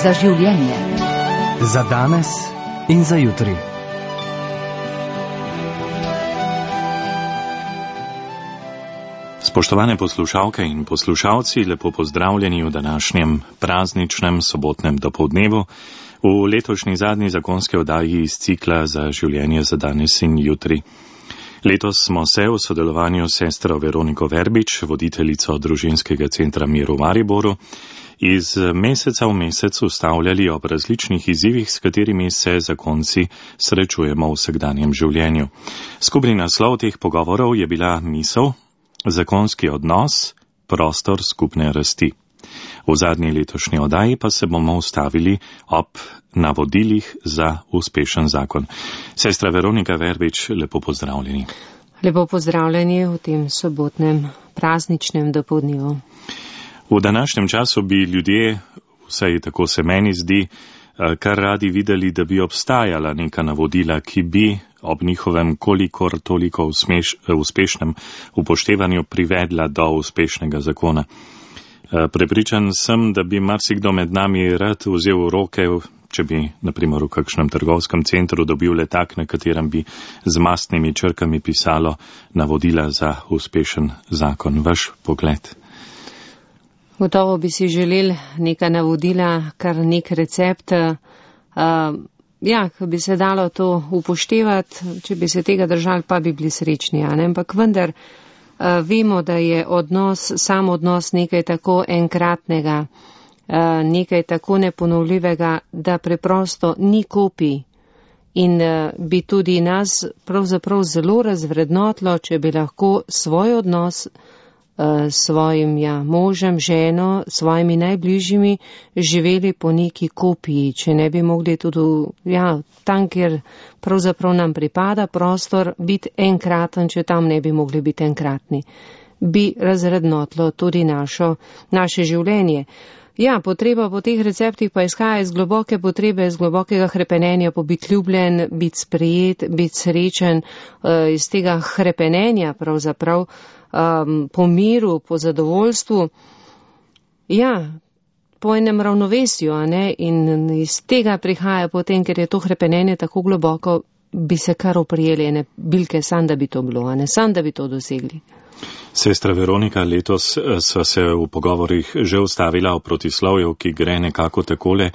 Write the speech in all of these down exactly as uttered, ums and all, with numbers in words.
za življenje. Za danes in za jutri. Spoštovane poslušalke in poslušalci, lepo pozdravljeni v današnjem prazničnem sobotnem dopoldnevu v letošnji zadnji zakonski oddaji iz cikla Za življenje za danes in jutri. Letos smo se v sodelovanju s sestro Veroniko Verbič, voditeljico družinskega centra Mir v Mariboru, iz meseca v mesec ustavljali ob različnih izzivih, s katerimi se zakonci srečujemo v vsakdanjem življenju. Skupni naslov teh pogovorov je bila misel Zakonski odnos, prostor skupne rasti. V zadnji letošnji oddaji pa se bomo ustavili ob navodilih za uspešen zakon. Sestra Veronika Verbič, lepo pozdravljeni. Lepo pozdravljeni v tem sobotnem prazničnem dopoldnevu. V današnjem času bi ljudje, vsaj tako se meni zdi, kar radi videli, da bi obstajala neka navodila, ki bi ob njihovem kolikor toliko usmeš, uspešnem upoštevanju privedla do uspešnega zakona. Prepričan sem, da bi marsikdo med nami rad vzel v roke, če bi, na primer, v kakšnem trgovskem centru dobil letak, na katerem bi z mastnimi črkami pisalo navodila za uspešen zakon. Vaš pogled? Gotovo bi si želeli neka navodila, kar nek recept, uh, ja, ko bi se dalo to upoštevati, če bi se tega držali, pa bi bili srečni, a ne? Ampak vendar uh, vemo, da je odnos, sam odnos nekaj tako enkratnega, uh, nekaj tako neponovljivega, da preprosto ni kopij. In uh, bi tudi nas pravzaprav zelo razvrednotilo, če bi lahko svoj odnos s svojim ja, možem, ženo, svojimi najbližjimi živeli po neki kopiji, če ne bi mogli tudi ja, tam, kjer pravzaprav nam pripada prostor, biti enkraten, če tam ne bi mogli biti enkratni. Bi razrednotilo tudi našo, naše življenje. Ja, potreba po teh receptih pa izhaja iz globoke potrebe, iz globokega hrepenenja po biti ljubljen, biti sprejet, biti srečen, iz tega hrepenenja pravzaprav, Um, po miru, po zadovoljstvu, ja, po enem ravnovesju, a ne, in iz tega prihaja potem, ker je to hrepenenje tako globoko, bi se kar oprijeli ene bilke, sam da bi to bilo, a ne, sam da bi to dosegli. Sestra Veronika, letos sva se v pogovorih že ustavila o protislovju, ki gre nekako takole.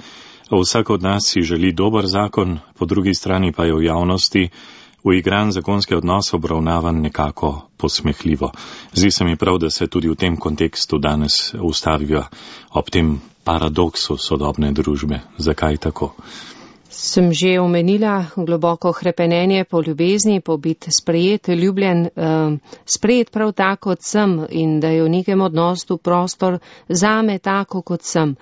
Vsak od nas si želi dober zakon, po drugi strani pa je v javnosti uigran zakonski odnos obravnavan nekako posmehljivo. Zdi se mi prav, da se tudi v tem kontekstu danes ustavijo ob tem paradoksu sodobne družbe. Zakaj tako? Sem že omenila globoko hrepenenje po ljubezni, po biti sprejet, ljubljen, uh, sprejet prav tako kot sem in da je v nekem odnosu prostor zame tako kot sem.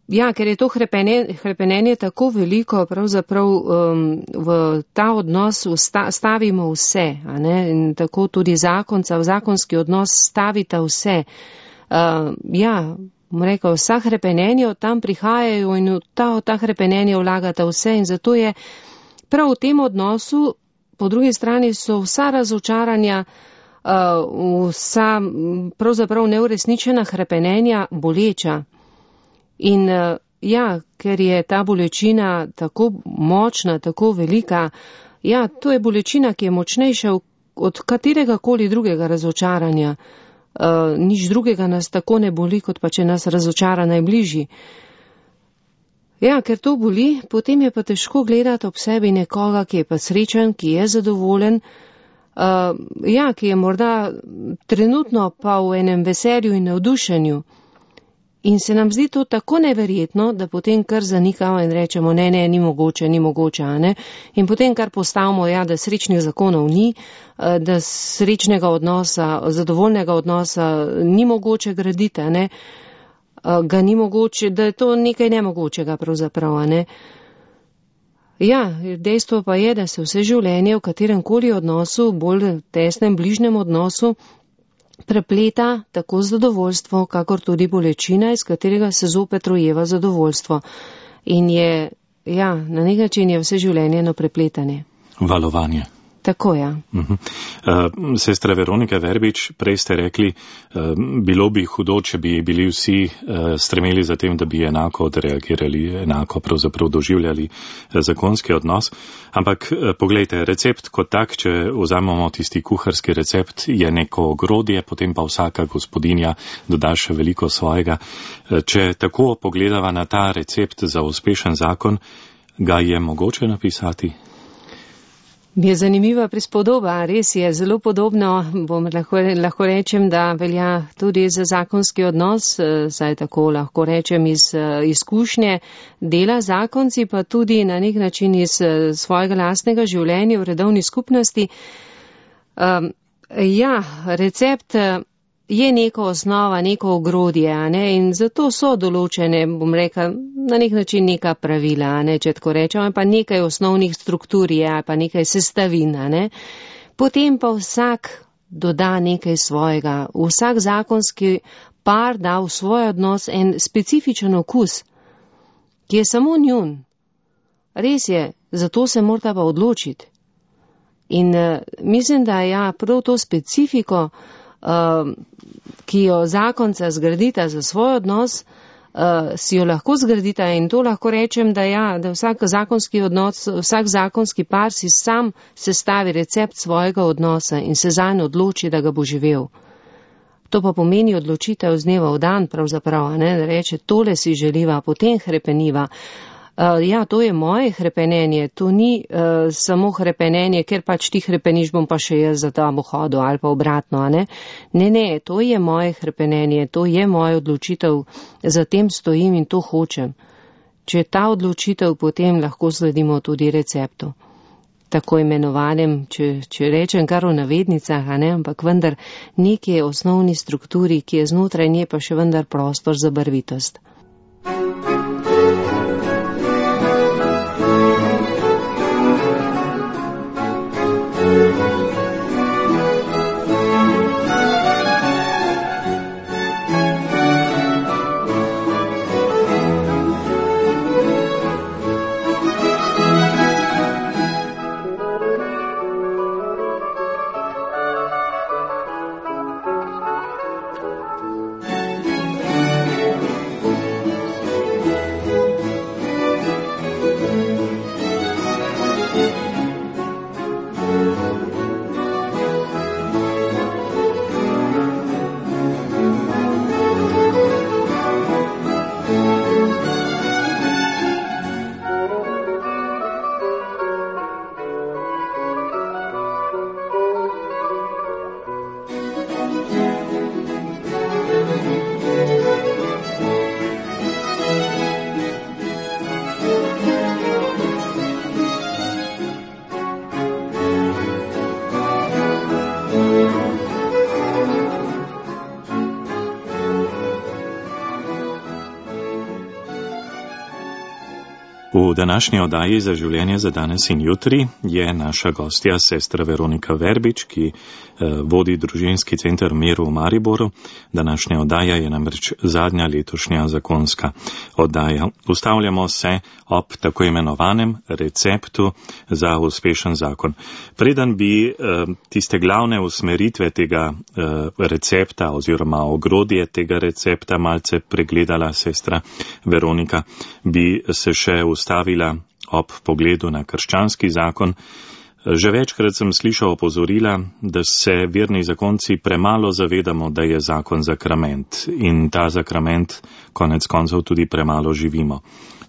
Ja, ker je to hrepenenje, hrepenenje tako veliko, pravzaprav um, v ta odnos vsta, stavimo vse, a ne, in tako tudi zakonca, v zakonski odnos stavita vse. Uh, ja, bom rekel, vsa hrepenenja od tam prihajajo in v ta, ta hrepenenje vlagata vse in zato je prav v tem odnosu, po drugi strani so vsa razočaranja, uh, vsa pravzaprav neuresničena hrepenenja boleča. In ja, ker je ta bolečina tako močna, tako velika, ja, to je bolečina, ki je močnejša od katerega koli drugega razočaranja. Uh, nič drugega nas tako ne boli, kot pa če nas razočara najbližji. Ja, ker to boli, potem je pa težko gledati ob sebi nekoga, ki je pa srečen, ki je zadovoljen, uh, ja, ki je morda trenutno pa v enem veselju in navdušenju. In se nam zdi to tako neverjetno, da potem kar zanikamo in rečemo, ne, ne, ni mogoče, ni mogoče, a ne. In potem kar postavimo, ja, da srečnih zakonov ni, da srečnega odnosa, zadovoljnega odnosa ni mogoče graditi, a ne. Ga ni mogoče, da je to nekaj nemogočega pravzaprav, a ne. Ja, dejstvo pa je, da se vse življenje v katerem koli odnosu, bolj tesnem, bližnjem odnosu, prepleta tako zadovoljstvo, kakor tudi bolečina, iz katerega se zopet rojeva zadovoljstvo. In je, ja, na nek način je vse življenje eno prepletanje. Valovanje. Tako, ja. Uh-huh. Uh, sestra Veronika Verbič, prej ste rekli, uh, bilo bi hudo, če bi bili vsi uh, stremeli za tem, da bi enako odreagirali, enako pravzaprav doživljali uh, zakonski odnos. Ampak uh, poglejte, recept kot tak, če vzamemo tisti kuharski recept, je neko ogrodje, potem pa vsaka gospodinja doda še veliko svojega. Uh, če tako pogledava na ta recept za uspešen zakon, ga je mogoče napisati? Mi je zanimiva prispodoba, res je zelo podobno, bom lahko, lahko rečem, da velja tudi za zakonski odnos, saj tako lahko rečem iz izkušnje dela zakonci, pa tudi na nek način iz svojega lastnega življenja v redovni skupnosti. Um, ja, recept je neka osnova, neko ogrodje, a ne, in zato so določene, bom rekla, na nek način neka pravila, a ne, če tako rečem, pa nekaj osnovnih struktur je, pa nekaj sestavin, a ne. Potem pa vsak doda nekaj svojega. Vsak zakonski par da v svoj odnos en specifičen okus, ki je samo njun. Res je, zato se morata pa odločiti. In uh, mislim, da ja, prav to specifiko, Uh, ki jo zakonca zgradita za svoj odnos, uh, si jo lahko zgradita, in to lahko rečem, da ja, da vsak zakonski odnos, vsak zakonski par si sam sestavi recept svojega odnosa in se zanj odloči, da ga bo živel. To pa pomeni odločitev z dneva v dan, pravzaprav, ne, da reče, tole si želiva, potem hrepeniva. Uh, ja, to je moje hrepenenje, to ni uh, samo hrepenenje, ker pač ti hrepeniš, bom pa še jaz za tam hodil ali pa obratno, a ne? Ne, ne, to je moje hrepenenje, to je moja odločitev, za tem stojim in to hočem. Če je ta odločitev, potem lahko sledimo tudi receptu. Tako imenovanem, če, če rečem kar v navednicah, a ne, ampak vendar neki osnovni strukturi, ki je znotraj nje, pa še vendar prostor za barvitost. V današnji oddaji za življenje za danes in jutri je naša gostja sestra Veronika Verbič, ki eh, vodi družinski center Mir v Mariboru. Današnja oddaja je namreč zadnja letošnja zakonska oddaja. Ustavljamo se ob tako imenovanem receptu za uspešen zakon. Preden bi eh, tiste glavne usmeritve tega eh, recepta oziroma ogrodje tega recepta malce pregledala sestra Veronika, bi se še ustavila ob pogledu na krščanski zakon. Že večkrat sem slišal opozorila, da se verni zakonci premalo zavedamo, da je zakon zakrament in ta zakrament konec koncev tudi premalo živimo.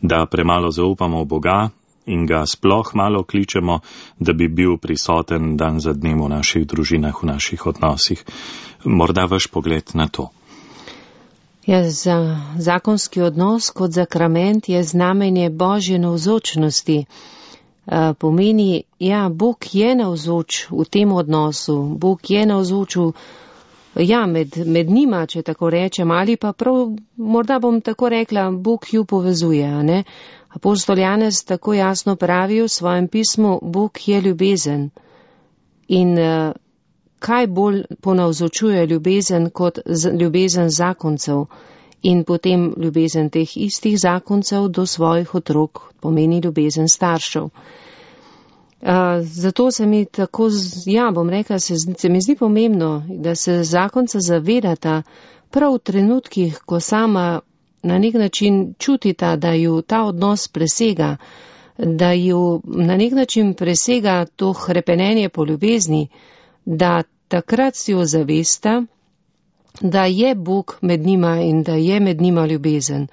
Da premalo zaupamo v Boga in ga sploh malo kličemo, da bi bil prisoten dan za dnem v naših družinah, v naših odnosih. Morda vaš pogled na to. Ja, za zakonski odnos kot zakrament je znamenje Božje navzočnosti. Uh, pomeni, ja, Bog je navzoč v tem odnosu, Bog je navzoč v, ja, med, med njima, če tako rečem, ali pa prav, morda bom tako rekla, Bog ju povezuje, a ne? Apostol Janez tako jasno pravi v svojem pismu, Bog je ljubezen. In uh, kaj bolj ponavzočuje ljubezen kot z, ljubezen zakoncev in potem ljubezen teh istih zakoncev do svojih otrok, pomeni ljubezen staršev. Uh, zato se mi tako, ja, bom rekla, se, se mi zdi pomembno, da se zakonca zavedata prav v trenutkih, ko sama na nek način čutita, da ju ta odnos presega, da ju na nek način presega to hrepenenje po ljubezni, da takrat si jo zavesta, da je Bog med njima in da je med njima ljubezen.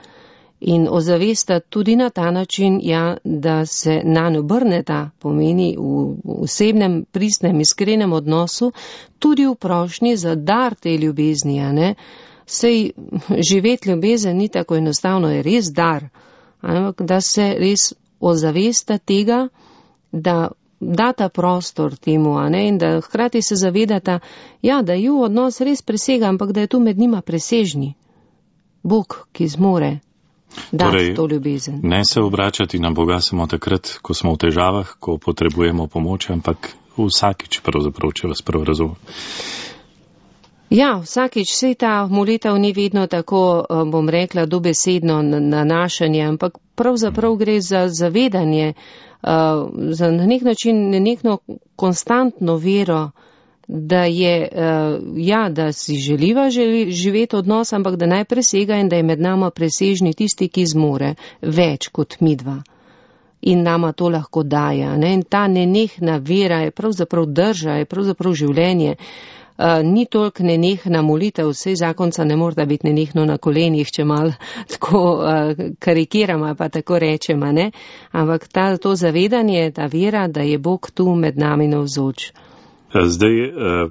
In ozavesta tudi na ta način, ja, da se nanj obrneta, pomeni v osebnem, pristnem, iskrenem odnosu, tudi v prošnji za dar te ljubezni, a ne. Sej živeti ljubezen ni tako enostavno, je res dar, ampak da se res ozavesta tega, da data prostor temu, a ne, in da hkrati se zavedata, ja, da ju odnos res presega, ampak da je tu med njima presežni Bog, ki zmore dati torej, to ljubezen. Ne se obračati na Boga samo takrat, ko smo v težavah, ko potrebujemo pomoč, ampak vsakič pravzaprav, če vas prav razumem. Ja, vsakič, sej ta molitev ni vedno tako, bom rekla, dobesedno nanašanje, ampak pravzaprav gre za zavedanje, za na nek način nenehno konstantno vero, da je, ja, da si želiva želi, živeti odnos, ampak da naj presega in da je med nama presežni tisti, ki zmore več kot midva. In nama to lahko daje. Ne? In ta nenehna vera je pravzaprav drža, je pravzaprav življenje. Uh, ni toliko nenehna molitev, vsej zakonca ne mora biti nenehno na kolenih, če malo tako uh, karikiramo, pa tako rečemo, ne? Ampak ta, to zavedanje, ta vera, da je Bog tu med nami navzoč. Zdaj uh,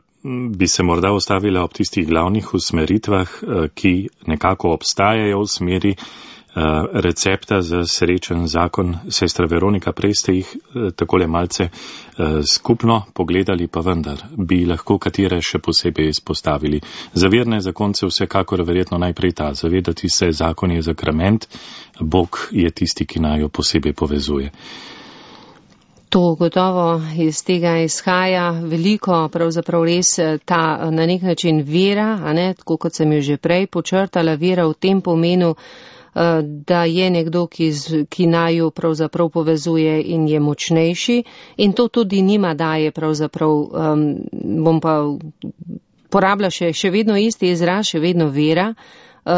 bi se morda ostavila ob tistih glavnih usmeritvah, uh, ki nekako obstajajo v smeri uh, recepta za srečen zakon. Sestra Veronika, prej ste jih uh, takole malce uh, skupno pogledali, pa vendar bi lahko katere še posebej izpostavili. Za verne zakonce vsekakor verjetno najprej ta, zavedati se, zakon je zakrament, Bog je tisti, ki naj jo posebej povezuje. To gotovo iz tega izhaja veliko, pravzaprav res ta na nek način vera, a ne, tako kot sem jo že prej počrtala, vera v tem pomenu, da je nekdo, ki, ki naju pravzaprav povezuje in je močnejši, in to tudi njima daje pravzaprav, um, bom pa porabila še, še vedno isti izraz, še vedno vera,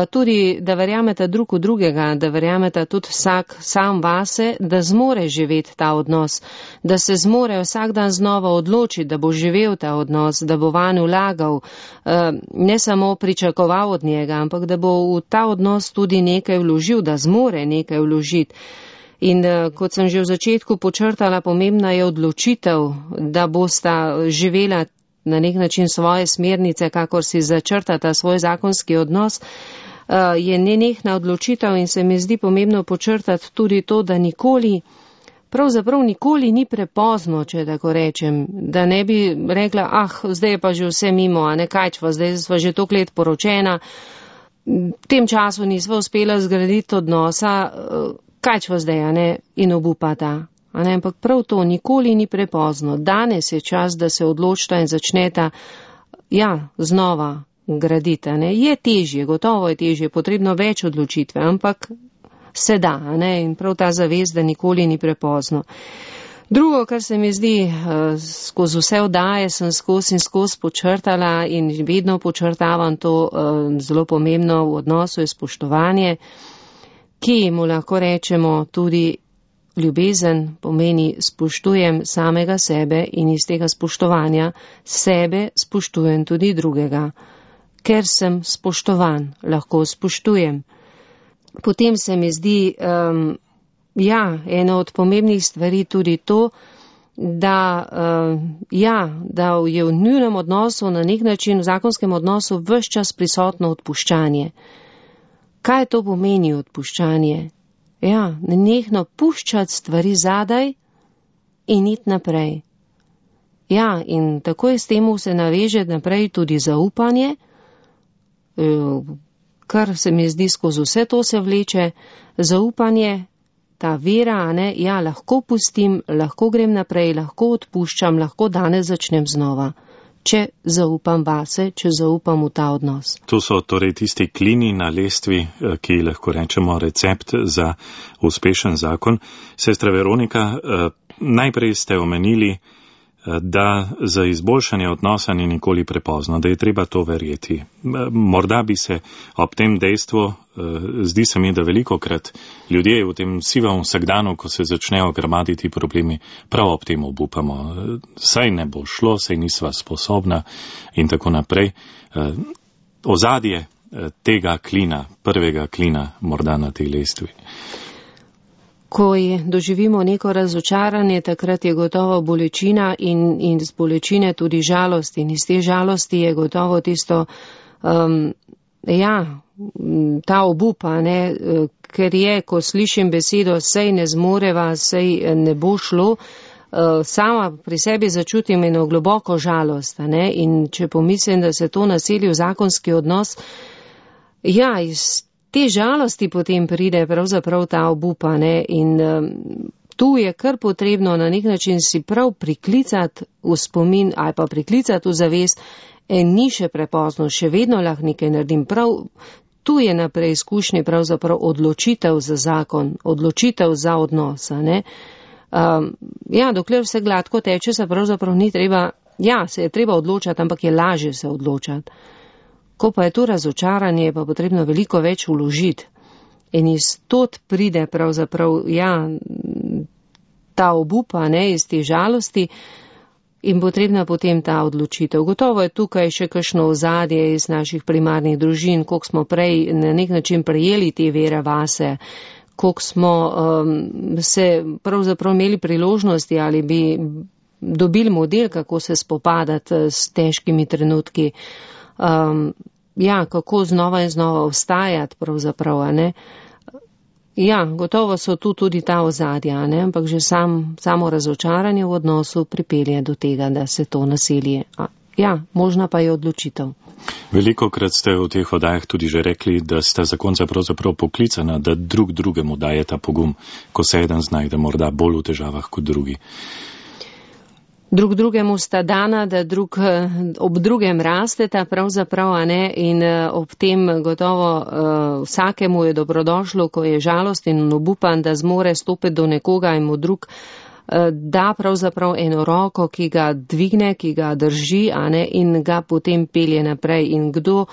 tudi, da verjameta drug v drugega, da verjameta tudi vsak sam vase, da zmore živeti ta odnos, da se zmore vsak dan znova odločiti, da bo živel ta odnos, da bo vanj vlagal, ne samo pričakoval od njega, ampak da bo v ta odnos tudi nekaj vložil, da zmore nekaj vložiti. In kot sem že v začetku počrtala, pomembna je odločitev, da bosta živela na nek način svoje smernice, kakor si začrtata svoj zakonski odnos, je nenehna odločitev in se mi zdi pomembno počrtati tudi to, da nikoli, pravzaprav nikoli ni prepozno, če tako rečem, da ne bi rekla, ah, zdaj je pa že vse mimo, a ne kajčva, zdaj sva že toliko let poročena, v tem času nisva uspela zgraditi odnosa, kajčva zdaj, a ne, in obupata. Ne, ampak prav to nikoli ni prepozno. Danes je čas, da se odločita in začneta, ja, znova graditi. Ne. Je težje, gotovo je težje, potrebno več odločitve, ampak se da, ne, in prav ta zavest, da nikoli ni prepozno. Drugo, kar se mi zdi, skozi vse oddaje sem skozi in skozi počrtala in vedno počrtavam to zelo pomembno v odnosu je spoštovanje, ki mu lahko rečemo tudi ljubezen, pomeni spoštujem samega sebe in iz tega spoštovanja sebe spoštujem tudi drugega. Ker sem spoštovan, lahko spoštujem. Potem se mi zdi, um, ja, ena od pomembnih stvari tudi to, da, uh, ja, da je v njunem odnosu, na nek način v zakonskem odnosu ves čas prisotno odpuščanje. Kaj to pomeni odpuščanje? Ja, nenehno puščati stvari zadaj in iti naprej. Ja, in takoj s temu se naveže naprej tudi zaupanje, kar se mi zdi skozi vse to se vleče, zaupanje, ta vera, a ne, ja, lahko pustim, lahko grem naprej, lahko odpuščam, lahko danes začnem znova. če zaupam vase, če zaupam v ta odnos. To so torej tisti klini na lestvi, ki lahko rečemo recept za uspešen zakon. Sestra Veronika, najprej ste omenili, da za izboljšanje odnosa ni nikoli prepozno, da je treba to verjeti. Morda bi se ob tem dejstvu, zdi se mi, da velikokrat ljudje v tem sivem vsakdanu, ko se začnejo gramaditi problemi, prav ob tem obupamo. Saj ne bo šlo, saj nisva sposobna in tako naprej. Ozadje tega klina, prvega klina morda na tej lestvi. Ko doživimo neko razočaranje, takrat je gotovo bolečina in, in z bolečine tudi žalost. In iz te žalosti je gotovo tisto, um, ja, ta obupa, ne, ker je, ko slišim besedo, sej ne zmoreva, sej ne bo šlo, uh, sama pri sebi začutim eno globoko žalost. Ne, in če pomislim, da se to naseli v zakonski odnos, ja, iz te žalosti potem pride pravzaprav ta obupa, ne, in um, tu je kar potrebno na nek način si prav priklicati v spomin ali pa priklicati v zavest, en ni še prepozno, še vedno lahko nekaj naredim. Prav tu je na preizkušnji pravzaprav odločitev za zakon, odločitev za odnosa, ne. Um, ja, dokler vse gladko teče, se pravzaprav ni treba, ja, se je treba odločati, ampak je lažje se odločati. Ko pa je tu razočaranje, je pa potrebno veliko več vložiti. In iz tot pride pravzaprav, ja, ta obupa, ne, iz te žalosti in potrebna potem ta odločitev. Gotovo je tukaj še kakšno ozadje iz naših primarnih družin, koliko smo prej na nek način prejeli te vere vase, koliko smo um, se pravzaprav imeli priložnosti ali bi dobili model, kako se spopadati s težkimi trenutki. Um, ja, kako znova in znova vstajati pravzaprav, a ne. Ja, gotovo so tu tudi ta ozadja, ne, ampak že sam, samo razočaranje v odnosu pripelje do tega, da se to naselje. A, ja, možna pa je odločitev. Velikokrat ste v teh oddajah tudi že rekli, da sta zakonca pravzaprav poklicana, da drug drugemu daje ta pogum, ko se eden znajde morda bolj v težavah kot drugi. Drug drugemu sta dana, da drug ob drugem rasteta pravzaprav, a ne, in ob tem gotovo uh, vsakemu je dobrodošlo, ko je žalosten in obupan, da zmore stopiti do nekoga in mu drug uh, da pravzaprav eno roko, ki ga dvigne, ki ga drži, a ne, in ga potem pelje naprej. In kdo uh,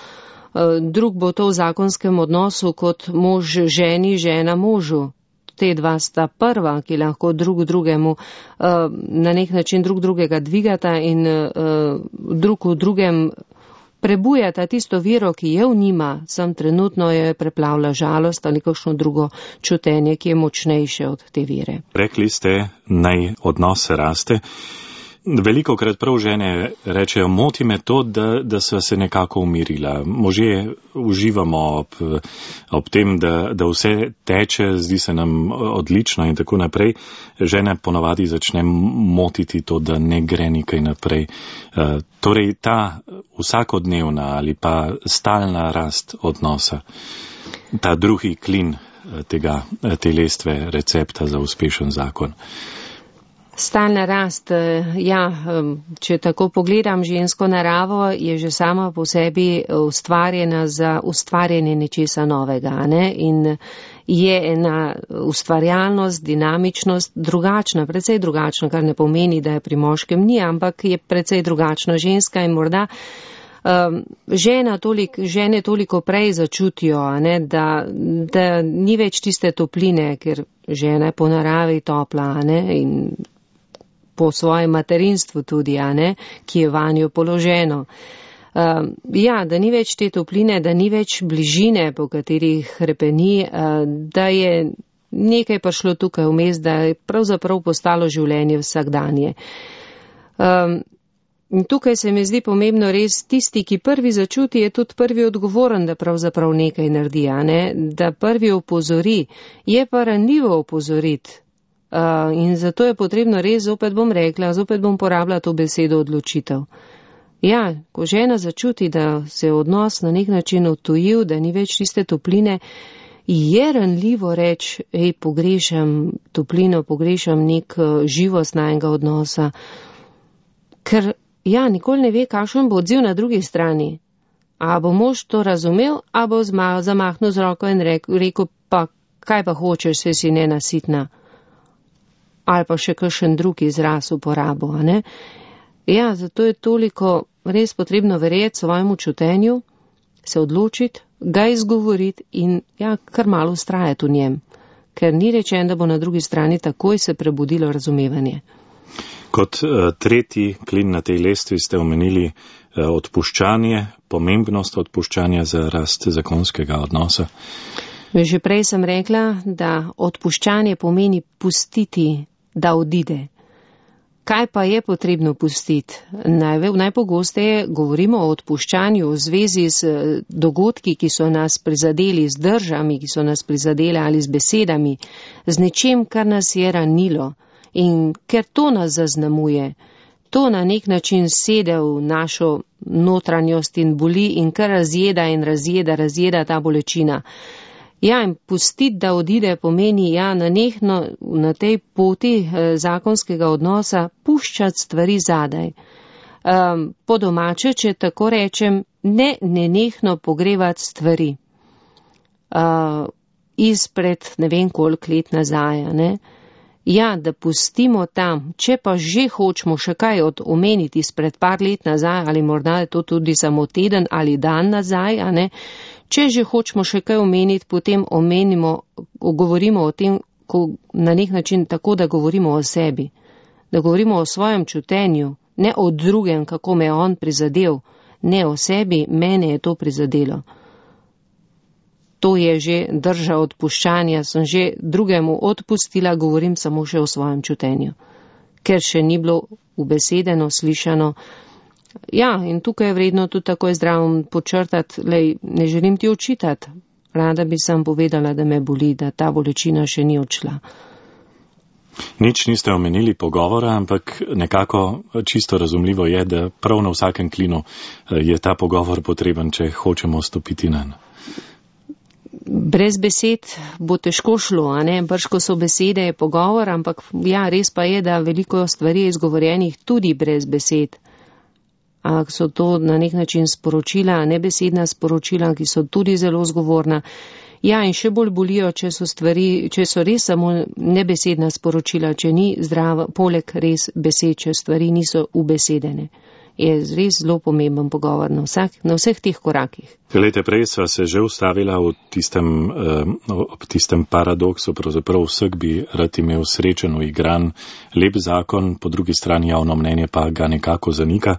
drug bo to v zakonskem odnosu kot mož ženi, žena možu. Te dva sta prva, ki lahko drug drugemu uh, na nek način drug drugega dvigata in uh, drug v drugem prebujata tisto vero, ki je v njima, sam trenutno je preplavlja žalost ali kakšno drugo čutenje, ki je močnejše od te vere. Rekli ste, naj odnos raste. Velikokrat prav žene rečejo, moti me to, da, da sva se nekako umirila. Možje uživamo ob, ob tem, da, da vse teče, zdi se nam odlično in tako naprej. Žene ponavadi začne motiti to, da ne gre nekaj naprej. Uh, torej ta vsakodnevna ali pa stalna rast odnosa, ta drugi klin tega, te lestve recepta za uspešen zakon. Stalna rast, ja, če tako pogledam žensko naravo, je že sama po sebi ustvarjena za ustvarjanje nečesa novega, ne? In je ena ustvarjalnost, dinamičnost drugačna, precej drugačna, kar ne pomeni, da je pri moškem ni, ampak je precej drugačna ženska in morda um, žena tolik, žene toliko prej začutijo, ne? Da, da ni več tiste topline, ker žena je po naravi topla, ne? In po svojem materinstvu tudi, a ne, ki je vanjo položeno. Uh, ja, da ni več te topline, da ni več bližine, po katerih hrepeni, uh, da je nekaj prišlo tukaj vmes, da je pravzaprav postalo življenje vsakdanje. Um, in tukaj se mi zdi pomembno res tisti, ki prvi začuti, je tudi prvi odgovoren, da pravzaprav nekaj naredi, a ne, da prvi opozori, je pa ranljivo opozoriti. Uh, in zato je potrebno res, zopet bom rekla, zopet bom porabila to besedo odločitev. Ja, ko žena začuti, da se je odnos na nek način odtujil, da ni več tiste topline, je ranljivo reči, ej, pogrešam toplino, pogrešam nek uh, živost najnega odnosa, ker ja, nikoli ne ve, kakšen bo odziv na drugi strani. A bo mož to razumel, a bo zamahnil z roko in rekel, rekel pa, kaj pa hočeš, se si nenasitna. Ali pa še kakšen drug izraz uporabo, a ne? Ja, zato je toliko res potrebno verjeti svojemu čutenju, se odločiti, ga izgovoriti in ja, kar malo ustrajati v njem, ker ni rečen, da bo na drugi strani takoj se prebudilo razumevanje. Kot uh, tretji klin na tej lestvi ste omenili uh, odpuščanje, pomembnost odpuščanja za rast zakonskega odnosa. Že prej sem rekla, da odpuščanje pomeni pustiti, da odide. Kaj pa je potrebno pustiti? Naj, najpogosteje govorimo o odpuščanju v zvezi z dogodki, ki so nas prizadeli, z držami, ki so nas prizadeli ali z besedami, z nečem, kar nas je ranilo. In ker to nas zaznamuje, to na nek način sede v našo notranjost in boli in kar razjeda in razjeda, razjeda ta bolečina. Ja, in pustiti, da odide, pomeni, ja, nanehno na tej poti eh, zakonskega odnosa puščati stvari zadaj. Um, po domače, če tako rečem, ne nenehno pogrevati stvari. Uh, izpred ne vem koliko let nazaj, ne? Ja, da pustimo tam, če pa že hočemo še kaj od omeniti izpred par let nazaj, ali morda je to tudi samo teden ali dan nazaj, a ne? Če že hočemo še kaj omeniti, potem omenimo, govorimo o tem, ko, na nek način tako, da govorimo o sebi, da govorimo o svojem čutenju, ne o drugem, kako me je on prizadel, ne o sebi, mene je to prizadelo. To je že drža odpuščanja, sem že drugemu odpustila, govorim samo še o svojem čutenju, ker še ni bilo ubesedeno, slišano. Ja, in tukaj je vredno tudi takoj zdravo počrtati, lej, ne želim ti očitati, rada bi sam povedala, da me boli, da ta bolečina še ni odšla. Nič niste omenili pogovora, ampak nekako čisto razumljivo je, da prav na vsakem klinu je ta pogovor potreben, če hočemo stopiti nanj. Brez besed bo težko šlo, a ne? Brško so besede, je pogovor, ampak ja, res pa je, da veliko stvari je izgovorjenih tudi brez besed. A so to na nek način sporočila, nebesedna sporočila, ki so tudi zelo zgovorna. Ja, in še bolj bolijo, če so stvari, če so res samo nebesedna sporočila, če ni zdrava, poleg res besed, če stvari niso ubesedene. Je res zelo pomemben pogovor na, vsak, na vseh teh korakih. Glejte, prej sva se že ustavila v tistem, ob tistem paradoksu, pravzaprav vseh bi rad imel srečen, igran, lep zakon, po drugi strani javno mnenje pa ga nekako zanika.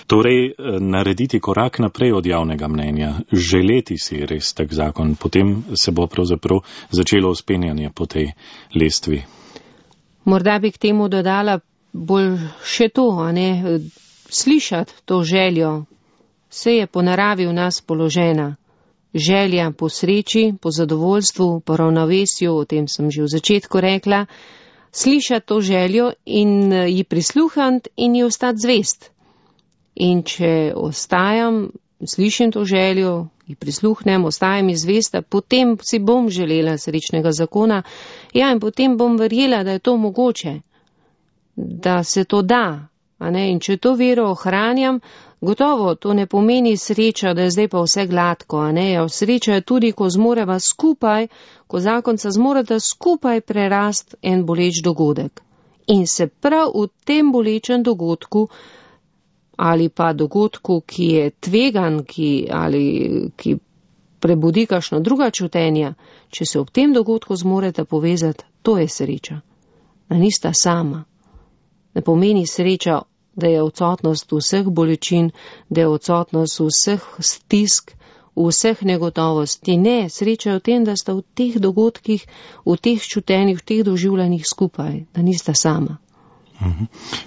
Torej, narediti korak naprej od javnega mnenja, želeti si res tak zakon, potem se bo pravzaprav začelo vzpenjanje po tej lestvi. Morda bi k temu dodala bolj še to, a ne, slišati to željo. Vse je po naravi v nas položena. Želja po sreči, po zadovoljstvu, po ravnovesju, o tem sem že v začetku rekla, slišati to željo in ji prisluhant in ji ostati zvest. In če ostajam, slišim to željo, ji prisluhnem, ostajam izvesta, potem si bom želela srečnega zakona, ja, in potem bom verjela, da je to mogoče, da se to da. A ne? In če to vero ohranjam, gotovo to ne pomeni sreča, da je zdaj pa vse gladko. A ne? Ja, sreča je tudi, ko zmoreva skupaj, ko zakonca zmoreta skupaj prerast en boleč dogodek. In se prav v tem bolečem dogodku ali pa dogodku, ki je tvegan, ki, ali ki prebudi kakšno druga čutenja, če se ob tem dogodku zmoreta povezati, to je sreča. Da nista sama. Ne pomeni sreča, da je odsotnost vseh bolečin, da je odsotnost vseh stisk, vseh negotovosti. Ne, sreča je v tem, da sta v teh dogodkih, v teh čutenjih, v teh doživljanjih skupaj, da nista sama.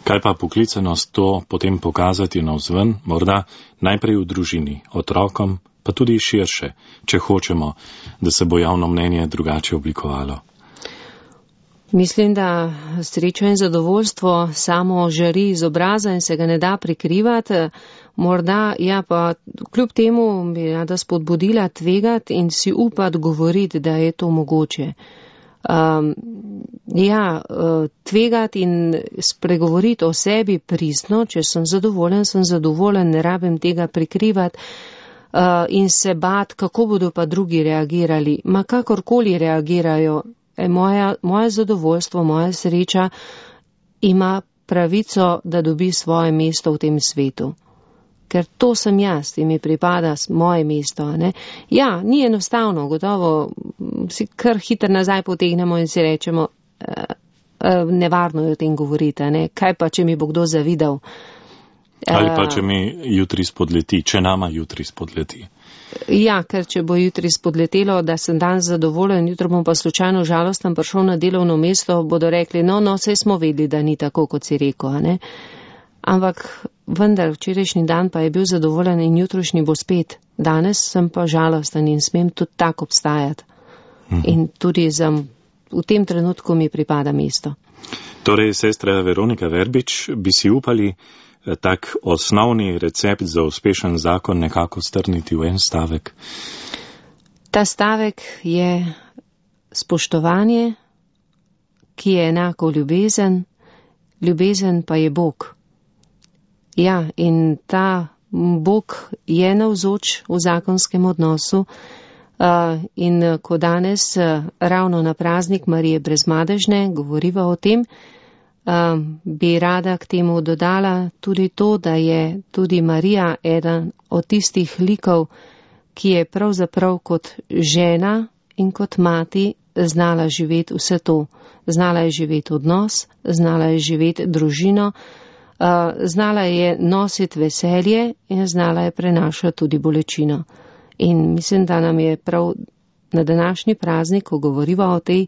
Kaj pa poklicanost to potem pokazati navzven, morda najprej v družini, otrokom, pa tudi širše, če hočemo, da se bo javno mnenje drugače oblikovalo? Mislim, da srečo in zadovoljstvo samo žari iz obraza in se ga ne da prikrivati. Morda, ja, pa kljub temu bi rada spodbudila tvegati in si upati govoriti, da je to mogoče. Um, ja, tvegati in spregovoriti o sebi pristno, če sem zadovoljen, sem zadovoljen, ne rabim tega prikrivati uh, in se bat, kako bodo pa drugi reagirali. Ma kakorkoli reagirajo, e, moja, moje zadovoljstvo, moja sreča ima pravico, da dobi svoje mesto v tem svetu. Ker to sem jaz in mi pripada moje mesto. Ne? Ja, ni enostavno, gotovo si kar hitro nazaj potegnemo in si rečemo, uh, uh, nevarno je o tem govoriti, ne? Kaj pa, če mi bo kdo zavidal? Ali pa, če mi jutri spodleti, če nama jutri spodleti. Ja, ker če bo jutri spodletelo, da sem dan zadovoljen, jutro bom pa slučajno žalosten prišel na delovno mesto, bodo rekli, no, no, saj smo vedeli, da ni tako, kot si rekel, ne? Ampak vendar, včerajšnji dan pa je bil zadovoljen in jutrošnji bo spet. Danes sem pa žalosten in smem tudi tako obstajati. Mhm. In tudi za, v tem trenutku mi pripada mesto. Torej, sestra Veronika Verbič, bi si upali tak osnovni recept za uspešen zakon nekako strniti v en stavek? Ta stavek je spoštovanje, ki je enako ljubezen, ljubezen pa je Bog. Ja, in ta Bog je navzoč v zakonskem odnosu uh, in ko danes uh, ravno na praznik Marije Brezmadežne govoriva o tem, uh, bi rada k temu dodala tudi to, da je tudi Marija eden od tistih likov, ki je pravzaprav kot žena in kot mati znala živeti vse to. Znala je živeti odnos, znala je živeti družino, Uh, znala je nositi veselje in znala je prenašati tudi bolečino. In mislim, da nam je prav na današnji praznik, ko govoriva o tej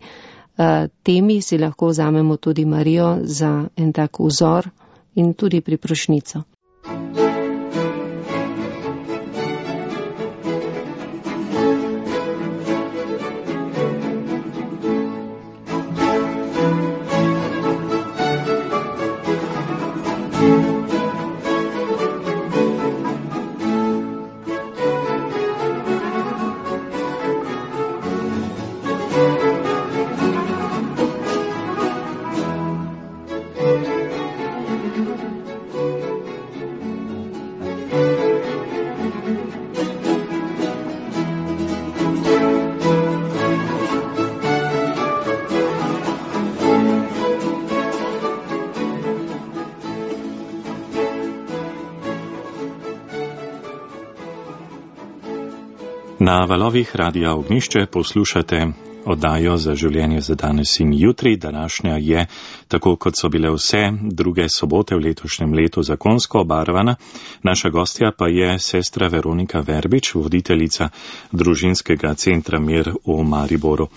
uh, temi, si lahko vzamemo tudi Marijo za en tak vzor in tudi priprošnjico. Na valovih Radia Ognjišče poslušate oddajo za življenje za danes in jutri. Današnja je, tako kot so bile vse druge sobote v letošnjem letu, zakonsko obarvana. Naša gostja pa je sestra Veronika Verbič, voditeljica družinskega centra Mir v Mariboru.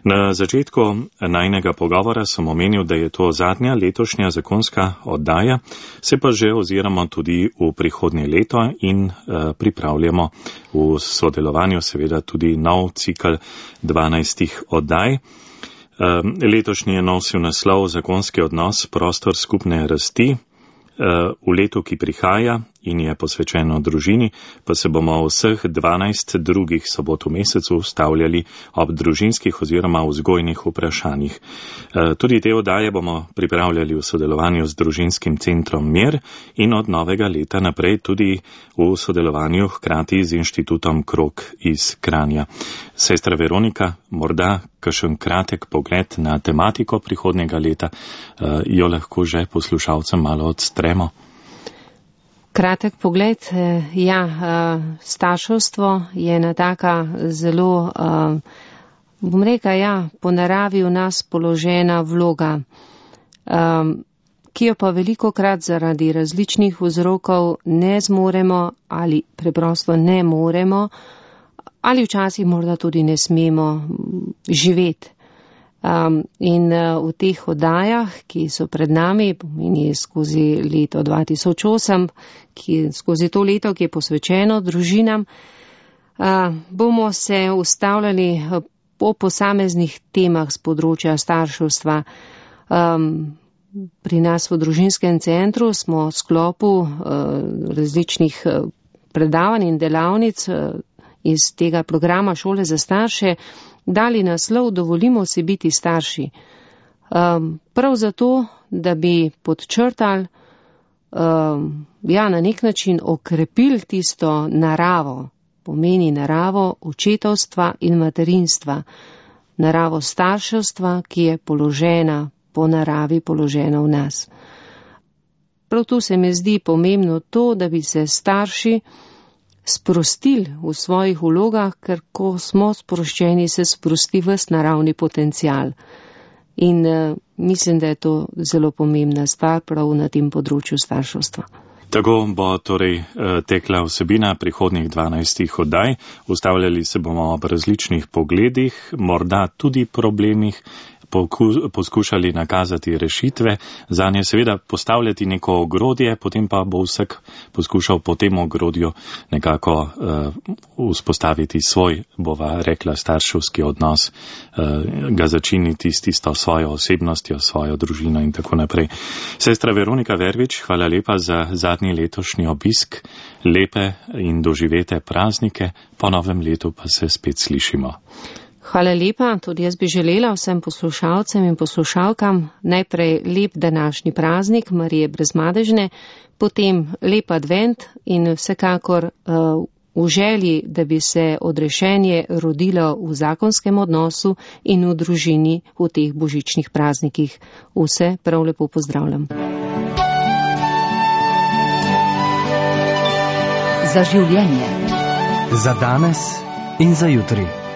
Na začetku najnega pogovora sem omenil, da je to zadnja letošnja zakonska oddaja, se pa že oziramo tudi v prihodnje leto in uh, pripravljamo v sodelovanju seveda tudi nov cikl dvanajstih oddaj. Uh, letošnji je nosil naslov Zakonski odnos, prostor skupne rasti. Uh, v letu, ki prihaja in je posvečeno družini, pa se bomo vseh dvanajst drugih sobot v mesecu ustavljali ob družinskih oziroma vzgojnih vprašanjih. Uh, tudi te oddaje bomo pripravljali v sodelovanju z družinskim centrom Mir in od novega leta naprej tudi v sodelovanju hkrati z inštitutom Krog iz Kranja. Sestra Veronika, morda kakšen kratek pogled na tematiko prihodnjega leta, uh, jo lahko že poslušalcem malo odstremo. Kratek pogled, ja, starševstvo je ena taka zelo, bom rekel, ja, po naravi v nas položena vloga, ki jo pa velikokrat zaradi različnih vzrokov ne zmoremo ali preprosto ne moremo ali včasih morda tudi ne smemo živeti. Um, in uh, v teh oddajah, ki so pred nami, pomeni skozi leto dva tisoč osem, ki, skozi to leto, ki je posvečeno družinam, uh, bomo se ustavljali po posameznih temah z področja starševstva. Um, pri nas v družinskem centru smo v sklopu uh, različnih uh, predavanj in delavnic uh, iz tega programa Šole za starše dali naslov Dovolimo si biti starši. Um, prav zato, da bi podčrtali, um, ja, na nek način okrepili tisto naravo, pomeni naravo očetovstva in materinstva, naravo starševstva, ki je položena, po naravi položena v nas. Prav tu se mi zdi pomembno to, da bi se starši sprostili v svojih vlogah, ker ko smo sproščeni, se sprosti ves naravni potencial. In uh, mislim, da je to zelo pomembna stvar prav na tem področju starševstva. Tako bo torej tekla vsebina prihodnjih dvanajstih oddaj. Ustavljali se bomo ob različnih pogledih, morda tudi problemih, poskušali nakazati rešitve, zanje seveda postavljati neko ogrodje, potem pa bo vsak poskušal po tem ogrodju nekako uh, vzpostaviti svoj, bova rekla, starševski odnos, uh, ga začiniti s tisto svojo osebnostjo, svojo družino in tako naprej. Sestra Veronika Verbič, hvala lepa za zadnji letošnji obisk, lepe in doživete praznike, po novem letu pa se spet slišimo. Hvala lepa, tudi jaz bi želela vsem poslušalcem in poslušalkam najprej lep današnji praznik Marije Brezmadežne, potem lep advent in vsekakor uh, v želji, da bi se odrešenje rodilo v zakonskem odnosu in v družini v teh božičnih praznikih. Vse prav lepo pozdravljam. Za življenje. Za danes in za jutri.